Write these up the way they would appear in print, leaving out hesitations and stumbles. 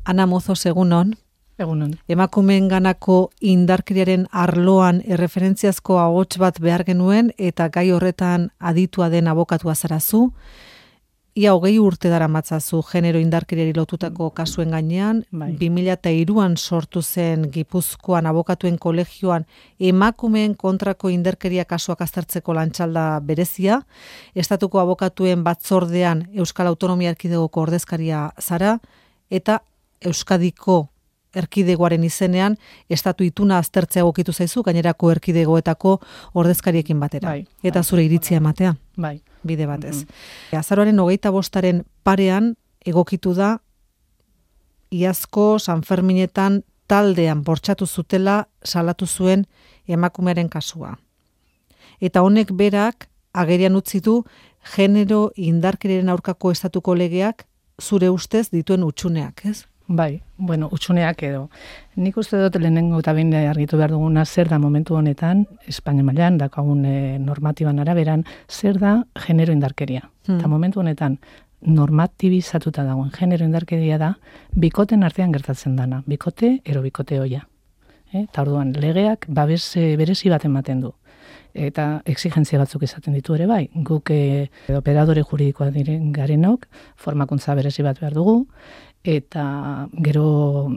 Ana Mozos, egunon. Egunon. Emakumeen ganako indarkeriaren arloan erreferentziazko ahots bat behar genuen eta gai horretan aditua den abokatua zarazu. Ia 20 urte daramatzazu genero indarkeriari lotutako kasuen gainean, 2003an sortu zen Gipuzkoan abokatuen kolegioan emakumeen kontrako indarkeria kasuak aztertzeko lantxalda berezia, estatuko abokatuen batzordean Euskal Autonomia Erkidegoko ordezkaria zara, eta Euskadiko erkidegoaren izenean estatu ituna aztertzea egokitu zaizu gainerako erkidegoetako ordezkariekin batera. Eta zure iritzia ematea. Bide batez. Azaroaren 25aren parean egokitu da iazko Sanferminetan taldean bortxatu zutela salatu zuen emakumearen kasua. Eta honek berak agerian utzi du genero indarkeriaren aurkako estatuko legeak zure ustez dituen utxuneak, ez? Utxuneak edo. Nik uste dut lehenengo eta behin argitu behar duguna zer da momentu honetan, Espainia mailan daukagun normatiban araberan, zer da genero indarkeria. Eta momentu honetan normatibizatuta dagoen genero indarkeria da bikoten artean gertatzen dana. Bikote, ero bikote hoia. Eta orduan, legeak babes berezi bat ematen du. Eta exigentzia batzuk izaten ditu ere bai. Guk operadore juridikoa diren garenok, formakuntza berezi bat behar dugu, eta gero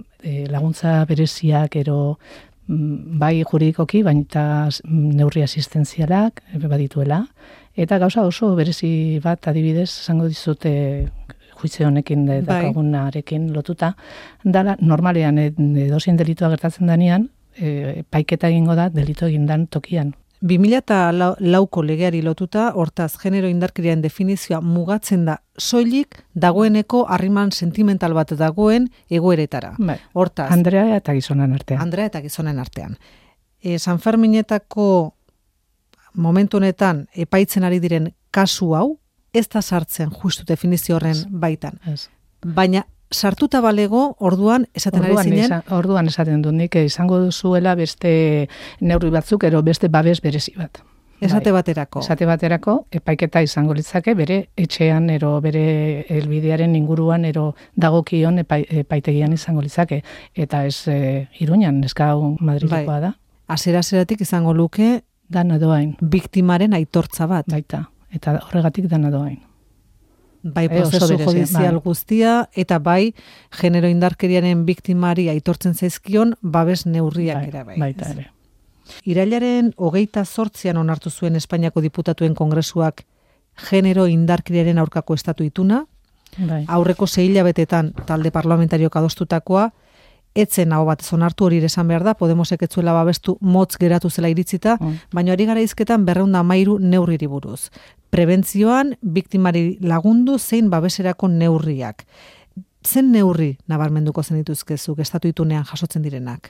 laguntza bereziak, gero bai juridikoki, baina neurri asistentzialak badituela, eta gauza oso berezi bat adibidez, esango dizute juizio honekin dakagunarekin lotuta, dala normalean edozein delitua gertatzen danean, paiketa egingo da delito egindan tokian. 2004ko legeari lotuta, hortaz, genero indarkeriaren definizioa mugatzen da soilik dagoeneko harriman sentimental bat dagoen egoeretara. Hortaz, Andrea eta gizonen artean. Sanferminetako momentu honetan epaitzen ari diren kasu hau, ez da sartzen justu definizio horren baitan. Baina sartuta balego, orduan esaten ari zinen? Orduan esaten dut nik izango duzuela beste neurri batzuk, ero beste babes berezi bat. Esate baterako. Esate baterako, epaiketa izango litzake, bere etxean, ero bere helbidearen inguruan, ero dagokion epaitegian izango litzake. Eta ez Iruñan, neska hau Madrilekoa da. Hasiera-hasieratik izango luke dana doain. Biktimaren aitortza bat. Baita, eta horregatik dana doain. Bai prozesu judizial guztia, eta bai genero indarkeriaren biktimari aitortzen zaizkion babes neurriak ere bai. Baita ere. Irailaren 28an onartu zuen Espainiako Diputatuen Kongresuak genero indarkeriaren aurkako estatu ituna. Aurreko 6 hilabetetan talde parlamentariok adostutakoa, etzen hau bat onartu, hori esan behar da, Podemosek ez zuela babestu motz geratu zela iritzita, baina ari gara izketan 213 neurriri buruz. Prebentzioan, biktimari lagundu zein babeserako neurriak. Zen neurri nabarmenduko zen dituzkezuk estatu itunean jasotzen direnak?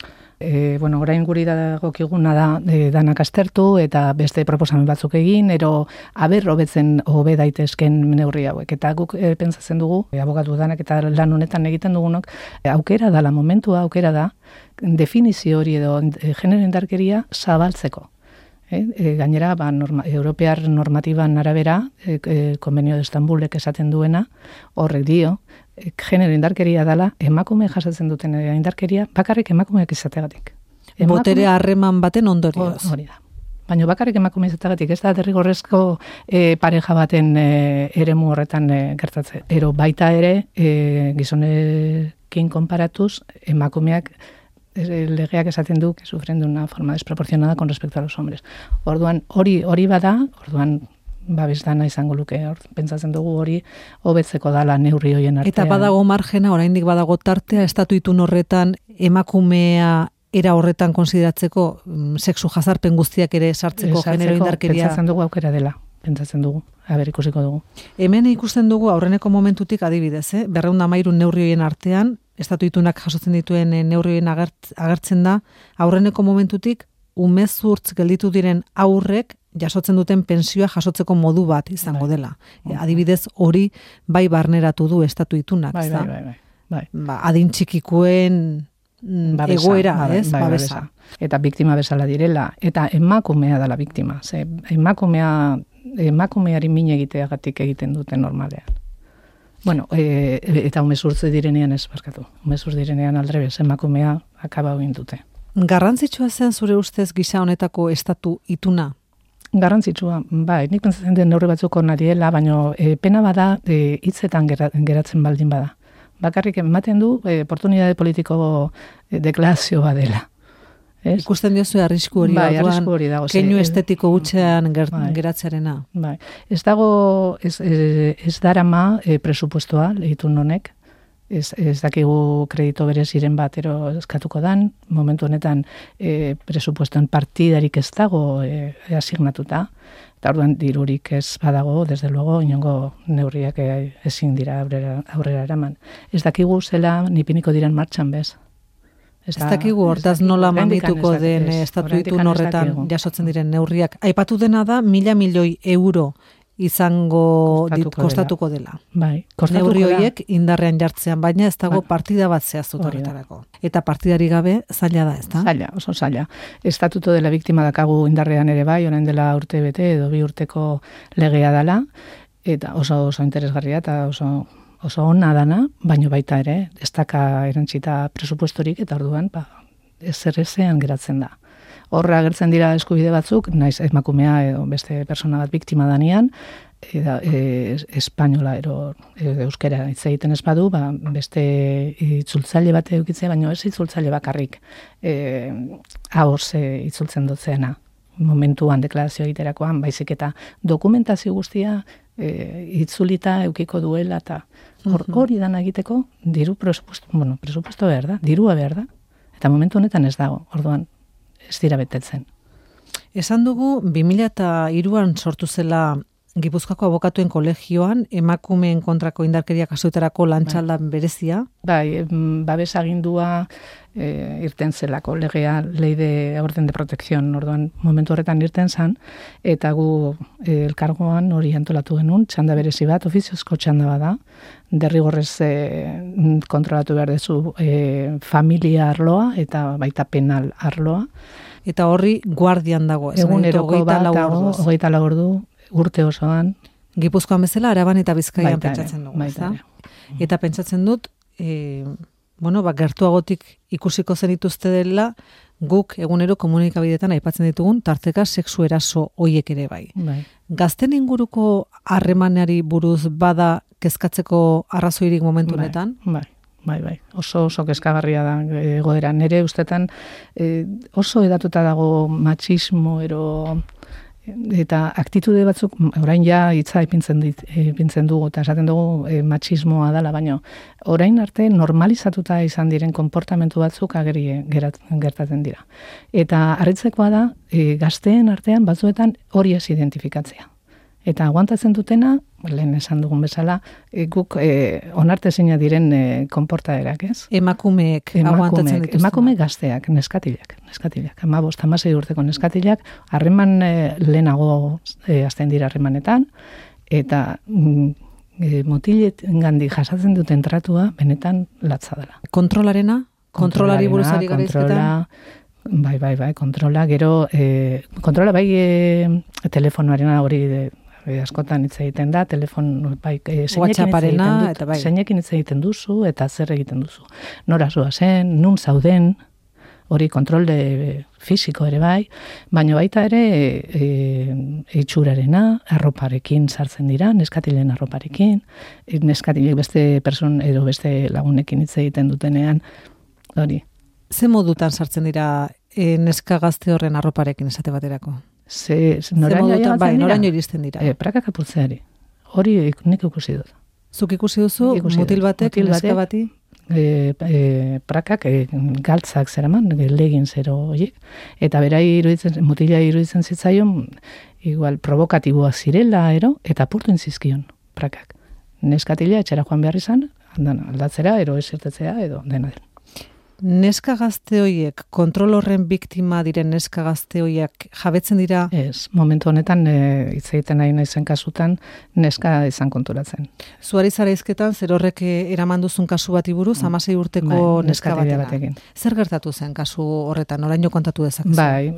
Orain guri dagokiguna da danak aztertu eta beste proposamen batzuk egin, ero hobetzen hobe daitezken neurri hauek. Eta guk pentsatzen dugu, abokatu danak eta lan honetan egiten dugunok, aukera da, momentua aukera da, definizio hori edo genero indarkeria zabaltzeko. Gainera, Europear normatiban arabera, Konbenio de Estambulek esaten duena, horrek dio, genero indarkeria dela, emakume jasatzen duten indarkeria, bakarrik emakumeak izategatik. Botere harreman baten ondorioz. Hori da. Baina bakarrik emakume izategatik, ez da derrigorrezko pareja baten eremu horretan gertatzen. Ero baita ere, gizonekin konparatuz, emakumeak legeak esaten du que sufren de una forma desproporcionada con respecto a los hombres. Orduan, hori bada, orduan babes dana izango luke, pentsatzen dugu hori hobetzeko dala neurri hoien artean. Eta badago margena, oraindik badago tartea, estatu itun horretan emakumea era horretan konsideratzeko, sexu jazarpen guztiak ere sartzeko genero indarkeria. Pentsatzen dugu aukera dela, pentsatzen dugu, ikusiko dugu. Hemen ikusten dugu aurreneko momentutik adibidez, 213 neurri hoien artean, estatu itunak jasotzen dituen neurrien agertzen da, aurreneko momentutik umezurtz gelditu diren aurrek jasotzen duten pensioa jasotzeko modu bat izango dela. Adibidez hori bai barneratu du estatu itunak. Bai. Adin txikikoen egoera, ez? Babesa. Eta biktima bezala direla, eta emakumea dela biktima. Emakumeari min egiteagatik egiten dute normalean. Bueno, eta umezurtze direnean ez, barkatu. Umezurtze direnean aldrebez, emakumea akaba dute. Garrantzitsua zen zure ustez gisa honetako estatu ituna? Garrantzitsua, bai, nik pentsatzen den neurri batzuko nadiela, baina pena bada hitzetan geratzen baldin bada. Bakarrik ematen du oportunitate politiko deklarazioa dela. Ez? Ikusten diozu arrisku hori dago, keinu estetiko hutsean geratzearena. Bai. Ez dago, ez darama presupuestoa lehitun honek, ez dakigu kredito bereziren batero eskatuko dan, momentu honetan presupuestoen partidarik ez dago asignatuta, eta orduan dirurik ez badago, desde luego, inongo neurriak ezin dira aurrera eraman. Ez dakigu zela nipiniko diren martxan bez. Ez dakigu hortaz nola mamituko den estatu itun horretan jasotzen diren neurriak. Aipatu dena da, 1.000 milioi euro izango kostatuko dela. Bai, neurri horiek indarrean jartzean, baina ez dago partida bat zehaztuta horretarako. Eta partidari gabe zaila da, ez da? Zaila, oso zaila. Estatuto de la Biktima dakagu indarrean ere bai, orain dela urte bete edo 2 urteko legea dela, eta oso interesgarria eta oso ona dana, baino baita ere, ez daka erantzita presupuestorik, eta orduan, ezean geratzen da. Horra agertzen dira eskubide batzuk, naiz emakumea edo beste persona bat biktima danean, espainola euskera hitz egiten ez badu, beste itzultzaile bat edukitzea, baino ez itzultzaile bakarrik ahoz itzultzen dutzeena. Momentuan deklarazio egiterakoan, baizik eta dokumentazio guztia itzulita eukiko duela, eta hori dana egiteko presupuesto behar da, dirua behar da, eta momentu honetan ez dago, orduan ez dira betetzen. Esan dugu, 2003an sortu zela Gipuzkoako abokatuen kolegioan, emakumeen kontrako indarkeria kasuetarako lantxaldan berezia. Bai, babesagindua irten zelako, legea, lei de orden de protección, orduan momentu horretan irten zan, eta gu elkargoan hori antolatu genuen, txanda berezi bat, ofiziozko txanda bada, derrigorrez kontrolatu behar dezu familia arloa eta baita penal arloa. Eta horri guardian dago, eguneroko bat dago, 24 ordu, urte osoan. Gipuzkoan bezala, Araban eta Bizkaian pentsatzen dugu, ezta? Eta pentsatzen dut, gertuagotik ikusiko zenituzte dela, guk egunero komunikabideetan aipatzen ditugun, tarteka sexu eraso hoiek ere bai. Gazten inguruko harremanari buruz bada kezkatzeko arrazoirik momentu honetan? Bai. Oso kezkagarria da egoera. Nere ustetan oso edatuta dago matxismo eta aktitude batzuk, orain ja hitza ipintzen dugu, eta esaten dugu matxismoa dela, baina orain arte normalizatuta izan diren konportamentu batzuk ageri gertatzen dira. Eta harritzekoa da, gazteen artean batzuetan hori ez identifikatzea. Eta aguantatzen dutena, lehen esan dugun bezala, guk onartezina diren konportaderak, ez? Emakumeek aguantatzen dituzten. Emakume gazteak, neskatilak. 15-16 urteko neskatilak, harreman lehenago hasten dira harremanetan, eta motiletengandik jasatzen duten tratua benetan latza dela. Kontrolarena? Kontrolari buruz ari gara izketan? Bai, kontrola, gero, kontrola bai telefonoarena hori askotan hitz egiten da, zeinekin hitz egiten duzu, eta zer egiten duzu. Nora zoazen, nun zauden, hori kontrol fisiko ere bai, baina baita ere itxurarena, arroparekin sartzen dira, neskatilen arroparekin, neskatilek beste person edo beste lagunekin hitz egiten dutenean, hori. Ze modutan sartzen dira neska gazte horren arroparekin esate baterako? Noraino iristen dira? Prakak apurtzeari. Hori nik ikusi dut. Zuk ikusi duzu, mutil batek, neska bati? Prakak galtzak zeraman, legin zero horiek. Eta bera mutila iruditzen zitzaion, igual provokatiboa zirela, eta apurtu inzizkion prakak. Neskatila etxera joan behar izan, aldatzera, ez irtetzea, edo dena den. neska gazte horiek, kontrol horren biktima diren neska gazte horiek jabetzen dira? Ez, momentu honetan hitz egiten nahi naizen kasutan neska izan konturatzen. Zuari zara izketan, zer horrek eraman duzun kasu bati buruz, 16 urteko neska batekin. Zer gertatu zen kasu horretan, oraino kontatu dezakezu? Bai,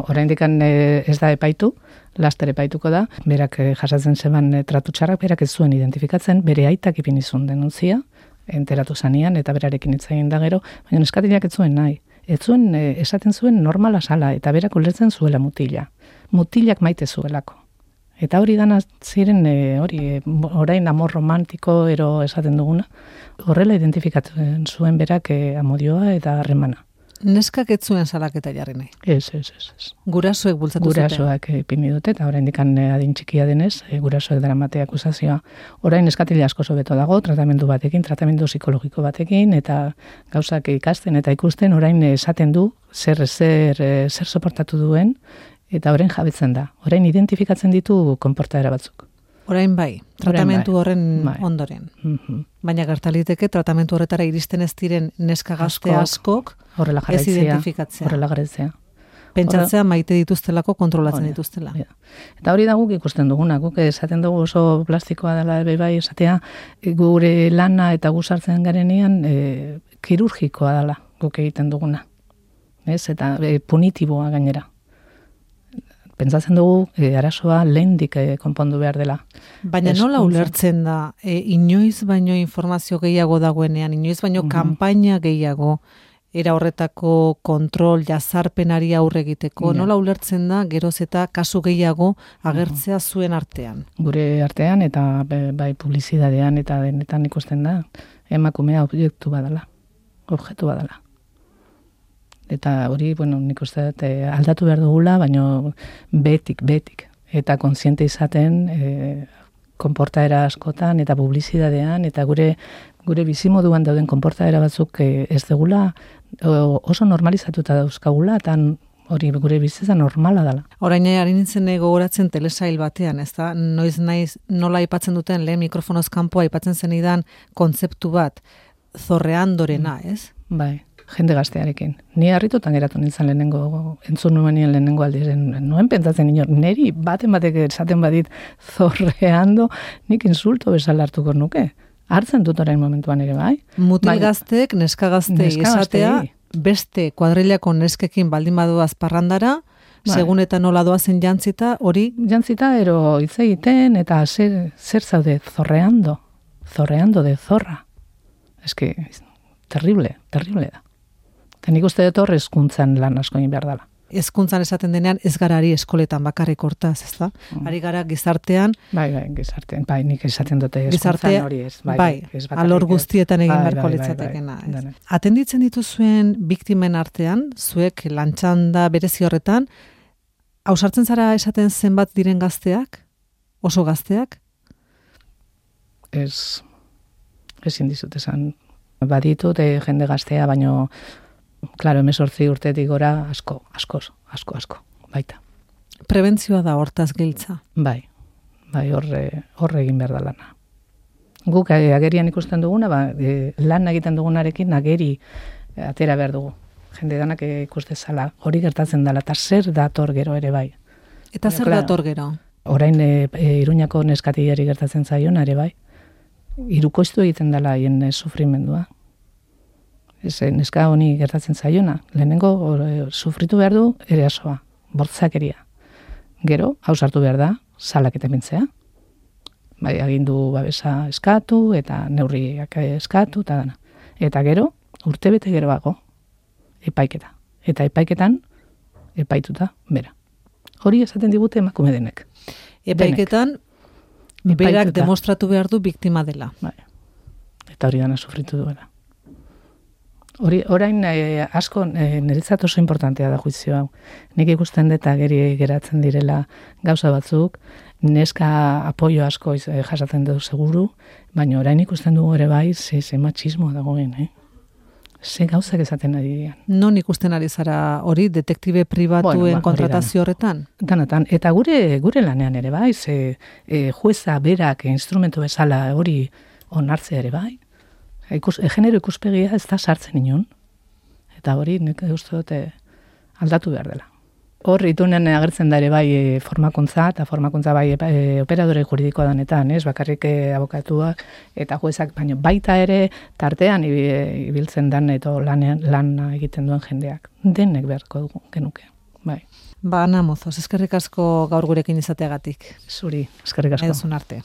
oraindik ez da epaitu, laster epaituko da, berak jasatzen zeban tratu txarrak, berak ez zuen identifikatzen, bere aitak ipini zuen denuntzia, enteratu zanean, eta berarekin hitz egin da gero, baina neskatileak ez zuen nahi. Ez zuen, esaten zuen normala sala, eta berak ulertzen zuela mutila. Mutilak maite zuelako. Eta hori dana ziren, orain amor romantiko ero esaten duguna, horrela identifikatzen zuen berak amodioa eta harremana. Neskak ez zuen salaketa jarri nahi? Ez. Gurasoek bultzatu zuten? Gurasoak ipini dute, eta oraindik adin txikia denez, gurasoek daramate akusazioa. Orain neskatile asko hobeto dago, tratamendu psikologiko batekin, eta gauzak ikasten eta ikusten, orain esaten du zer soportatu duen, eta orain jabetzen da. Orain identifikatzen ditu konportaera batzuk. Orain bai, tratamentu horren ondoren. Baina gertaliteke tratamentu horretara iristen ez diren neska gazte askok ez identifikatzea. Horrela garatzea. Pentsatzea maite dituztelako, kontrolatzen dituztela. Eta hori da guk ikusten duguna, guk esaten dugu oso plastikoa dela bai esatea, gure lana eta guzartzen garenean kirurgikoa dela guk egiten duguna. Eta punitiboa gainera. Pentsatzen dugu arazoa lehendik konpondu behar dela. Baina nola ulertzen da, inoiz baino informazio gehiago dagoenean, inoiz baino kanpaina gehiago, era horretako kontrol, jazarpenari aurre egiteko, nola ulertzen da, geroz eta kasu gehiago agertzea zuen artean? Gure artean eta bai publizidadean eta denetan ikusten da, emakumea objektu badala, objektu badala. Eta hori, nik uste dut aldatu behar dugula, baina betik. Eta kontziente izaten konportaera askotan eta publizidadean, eta gure bizimoduan dauden konportaera batzuk ez dugula oso normalizatuta dauzkagula, eta hori gure bizitza normala dela. Orain ari nintzen gogoratzen telesail batean, ez da? Noiz naiz nola aipatzen duten lehen mikrofonoz kanpo aipatzen zenidan kontzeptu bat, zorreandorena, ez? Bai. Jende gaztearekin. Ni harritutan geratu nintzen entzun nuenien lehenengo aldiren, nuen pentsatzen inor, neri batek esaten badit zorreando, nik insulto bezala hartuko nuke. Hartzen dut orain momentuan ere bai. Mutil gazteek, neska gaztei esatea, beste kuadrilako neskekin baldin badoaz parrandara, segun eta nola doazen jantzita, hori? Jantzita, ero hitz egiten, eta zer zaude, zorreando de zorra. Eske, terrible da. Eta nik uste dut hor hezkuntzan lan asko egin behar dela. Hezkuntzan esaten denean ez gara ari eskoletan bakarrik hortaz, ez da? Ari gara gizartean. Bai, gizartean. Bai, nik esaten dute hezkuntzan hori ez. Bai, alor guztietan egin beharko litzatekena. Atenditzen dituzuen biktimen artean, zuek lantxanda berezi horretan, ausartzen zara esaten zenbat diren gazteak? Oso gazteak? Ez indizut esan. Baditut jende gaztea, baino claro, 18 urtetik gora asko, baita. Prebentzioa da hortaz giltza. Bai, horre egin behar da lana. Guk agerian ikusten duguna, lan egiten dugunarekin ageri atera behar dugu. Jende danak ikustezala, hori gertatzen dela, eta zer dator gero ere bai. Eta zer dator gero? Orain Iruñako neskatillari gertatzen zaion, ere bai. Irukoiztu egiten dela haien sufrimendua. Neska honi gertatzen zaiona. Lehenengo sufritu behar du erasoa, bortzakeria. Gero, hausartu behar da, salak eta bintzea. Bai, agindu babesa eskatu, eta neurriak eskatu, eta dana. Eta gero, urtebete geroago, epaiketa. Eta epaiketan, epaituta, bera. Hori esaten digute emakume denek. Epaiketan, berak demostratu behar du biktima dela. Bai. Eta hori dana sufritu duela. Orain asko niretzat oso importantea da juizio hau. Nik ikusten dut ageri geratzen direla gauza batzuk, neska apoio asko jasatzen du seguru, baina orain ikusten dugu ere bai ze matxismoa dagoen, Ze gauzak esaten ari dian. Non ikusten ari zara hori detektibe pribatuen kontratazio horretan? Danatan. Eta gure lanean ere bai, jueza berak instrumento bezala hori onartzea ere bai. Genero ikuspegia ez da sartzen inon. Eta hori nik uste dute aldatu behar dela. Hor, itunen agertzen da ere bai formakuntza, eta formakuntza bai operadore juridikoa danetan, bakarrik abokatuak eta juezak, baina baita ere tartean ibiltzen dan eta lan egiten duen jendeak. Denek beharko genuke, bai. Ana Mozos, eskerrik asko gaur gurekin izateagatik. Zuri, eskerrik asko. Nahi duzun arte.